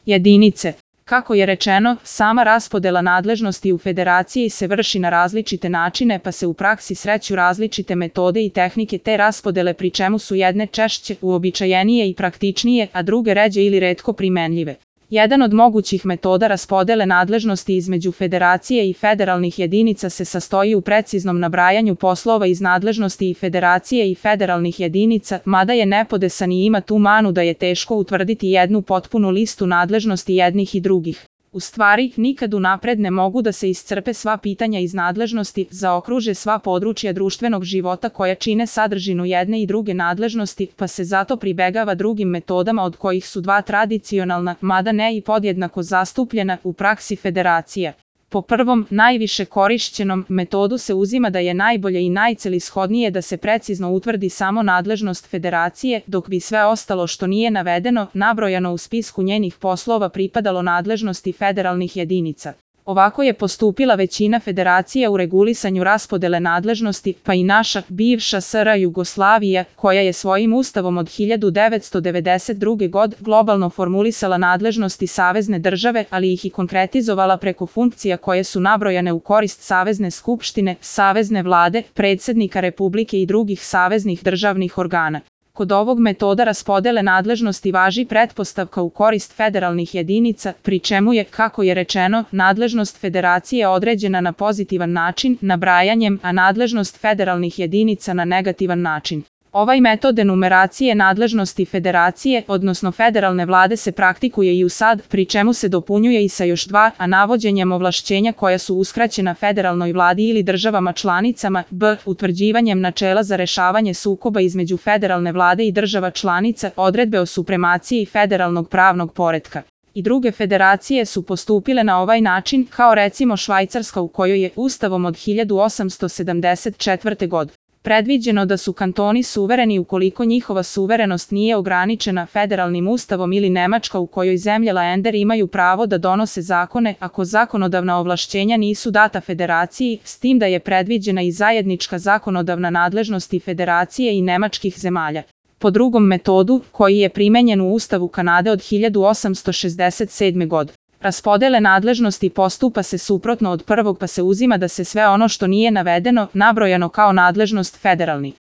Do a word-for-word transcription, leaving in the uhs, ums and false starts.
jedinice. Kako je rečeno, sama raspodela nadležnosti u federaciji se vrši na različite načine pa se u praksi sreću različite metode i tehnike te raspodele pri čemu su jedne češće, uobičajenije i praktičnije, a druge ređe ili retko primenljive. Jedan od mogućih metoda raspodele nadležnosti između federacije i federalnih jedinica se sastoji u preciznom nabrajanju poslova iz nadležnosti i federacije i federalnih jedinica, mada je nepodesan i ima tu manu da je teško utvrditi jednu potpunu listu nadležnosti jednih i drugih. U stvari, nikad unapred ne mogu da se iscrpe sva pitanja iz nadležnosti, zaokruže sva područja društvenog života koja čine sadržinu jedne i druge nadležnosti, pa se zato pribegava drugim metodama od kojih su dva tradicionalna, mada ne i podjednako zastupljena, u praksi federacija. Po prvom, najviše korišćenom metodu se uzima da je najbolje i najcelishodnije da se precizno utvrdi samo nadležnost federacije, dok bi sve ostalo što nije navedeno, nabrojano u spisku njenih poslova pripadalo nadležnosti federalnih jedinica. Ovako je postupila većina federacija u regulisanju raspodele nadležnosti, pa i naša, bivša S R Jugoslavija, koja je svojim ustavom od hiljadu devetsto devedeset druge. godine globalno formulisala nadležnosti savezne države, ali ih i konkretizovala preko funkcija koje su nabrojane u korist Savezne skupštine, Savezne vlade, predsjednika Republike i drugih saveznih državnih organa. Kod ovog metoda raspodele nadležnosti važi pretpostavka u korist federalnih jedinica, pri čemu je, kako je rečeno, nadležnost federacije određena na pozitivan način, nabrajanjem, a nadležnost federalnih jedinica na negativan način. Ovaj metod enumeracije nadležnosti federacije, odnosno federalne vlade se praktikuje i u sad, pri čemu se dopunjuje i sa još dva, a navođenjem ovlašćenja koja su uskraćena federalnoj vladi ili državama članicama, b. utvrđivanjem načela za rešavanje sukoba između federalne vlade i država članica, odredbe o supremaciji federalnog pravnog poretka. I druge federacije su postupile na ovaj način, kao recimo Švajcarska u kojoj je ustavom od hiljadu osamsto sedamdeset četvrte. godine predviđeno da su kantoni suvereni ukoliko njihova suverenost nije ograničena federalnim ustavom ili Nemačka u kojoj zemlje Länder imaju pravo da donose zakone ako zakonodavna ovlašćenja nisu data federaciji, s tim da je predviđena i zajednička zakonodavna nadležnost i federacije i nemačkih zemalja. Po drugom metodu, koji je primenjen u Ustavu Kanade od hiljadu osamsto šezdeset sedme. godine raspodele nadležnosti postupa se suprotno od prvog pa se uzima da se sve ono što nije navedeno, nabrojano kao nadležnost federalnih